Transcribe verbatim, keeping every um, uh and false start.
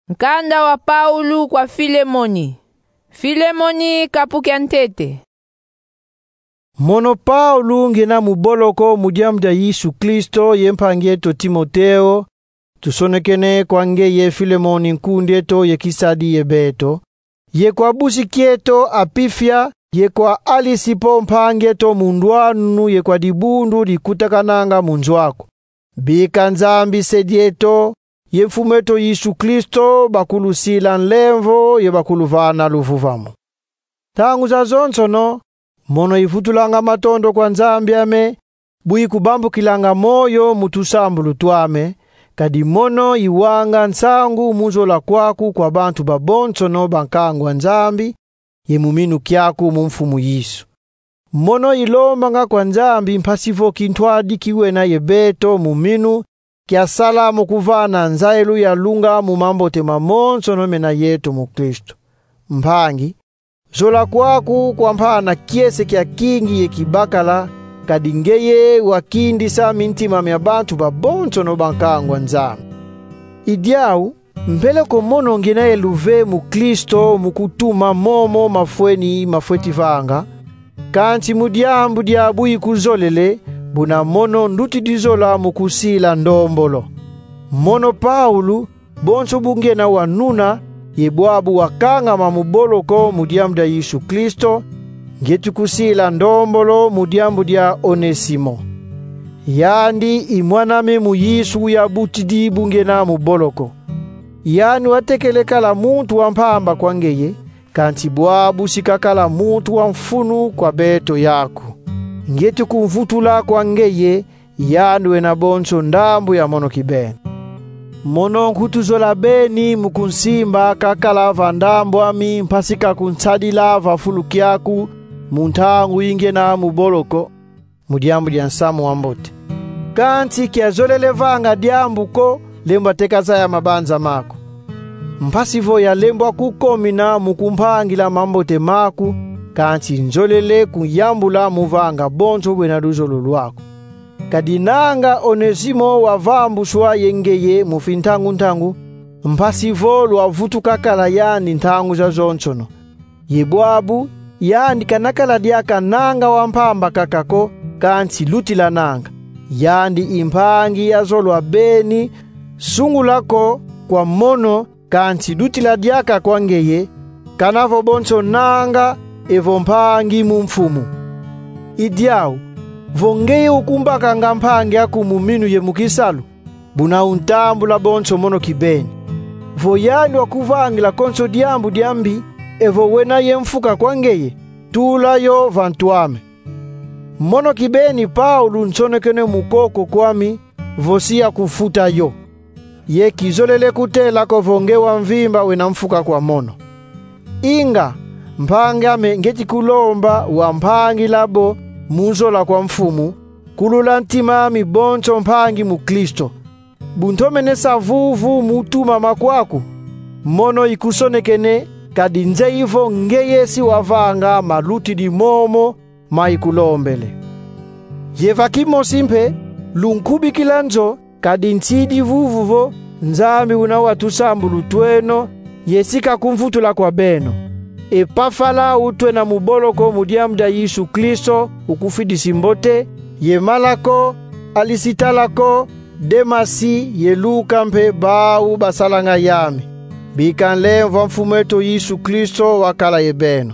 Nkanda wa Paulo kwa Filemoni. Filemoni, kapu kia ntete. Mono Paulo, ngiena mu boloko mu diambu dia Yesu Kristo, ye mpangi eto Timoteo, tusonekene kwa ngeye Filemoni, nkundi eto ye kisadi ye beto, ye kwa busi kieto Apifia, ye kwa Alisipo, mpangi eto mu ndwanu, ye kwa dibundu dikutakananga mu nzo aku. Bika Nzambi Se dieto ye Mfumu eto Yesu Kristo bakulusila nlemvo ye bakuluvana luvuvamu. Ntangu zazonsono, mono ivutulanga matondo kwa Nzambi ame, bu ikubambukilanga moyo mu tusambulu twame, kadi mono iwanga nsangu mu zola kwaku kwa bantu babonsono ba nkangu a Nzambi, ye mu minu kiaku mu Mfumu Yesu. Mono ilombanga kwa Nzambi mpasi vo kintwadi kiwena ye beto mu minu kiasala mu kuvana nzayilu ya lunga mu mambote mamonsono mena yeto mu Kristo. Mpangi, zola kwaku kwa mpana kiese kia kingi ye kibakala, kadi ngeye wakindisa mintima mia bantu babonsono ba nkangu a Nzambi. I diau, mbele ko mono ngiena ye luve mu Kristo mu kutuma momo mafweni mafweti vanga, kansi mu diambu dia bu ikuzolele, buna mono ndutidi zola mu kusila ndombolo. Mono Paulo, bonso bu ngiena wa nuna, ye bwabu wakangama mu boloko mu diambu dia Yesu Kristo, ngieti kusila ndombolo mu diambu dia Onesimo. Yandi i mwan'ame mu Yesu uyabutidi bu ngiena mu boloko. Yandi watekele kala muntu wa mpamba kwa ngeye, kansi bwabu si kakala muntu wa mfunu kwa beto yaku. Ngieti kumvutula kwa ngeye, yandi wena bonso ndambu ya mono kibeni. Mono nkutu zola beni mu kunsimba kakala va ndambu ami mpasi ka kunsadila va fulu kiaku mu ntangu yi ngiena mu boloko, mu diambu dia nsamu wa mbote. Kansi kiazolele vanga diambu ko lembwa teka zaya mabanza maku. Mpasi vo yalembwa kukomina mu kumpangila mambote maku, kansi nzolele kuyambula mu vanga bonso bwena luzolo lwaku. Kadi nanga Onesimo wavambuswa ye ngeye mu fintangu-ntangu, mpasi vo lwavutuka kala yandi ntangu zazonsono. Ye bwabu, yandi kanakala diaka nanga wa mpamba kaka ko, kansi lutilananga. Yandi i mpangi ya zolwa beni, sungula ko kwa mono, kansi lutila diaka kwa ngeye, kana vo bonso nanga evo mpangi mu Mfumu. I diau, vo ngeye ukumbakanga mpangi aku mu minu ye mu kisalu, buna untambula bonso mono kibeni. Vo yandi wakuvangila konso diambu diambi, evo wena ye mfuka kwa ngeye, tula yo va ntu ame. Mono kibeni Paulo nsonekene mu koko kwami, vo si yakufuta yo. Ye kizolele kutela ko vo nge wa mvimba wena mfuka kwa mono. Inga, mpangi ame, ngieti kulomba wampangila bo mu zola kwa Mfumu, kulula ntima ami bonso mpangi mu Kristo. Bu ntomene sa vuvu mu tuma makwaku, mono ikusonekene, kadi nzeyi vo ngeye si wavanga malutidi momo ma ikulombele. Ye va kimosi mpe, lunkubikila nzo, kadi nsidi vuvu vo Nzambi una wa tusambulu tweno, ye si kakumvutula kwa beno. Epafala utwena mu boloko mu diambu dia Yesu Kristo, ukufidisi mbote, ye Malako, Alisitalako, Demasi ye Luka mpe bau basalanga yame. Bika nlemvo a Mfumu eto Yesu Kristo wakala ye beno.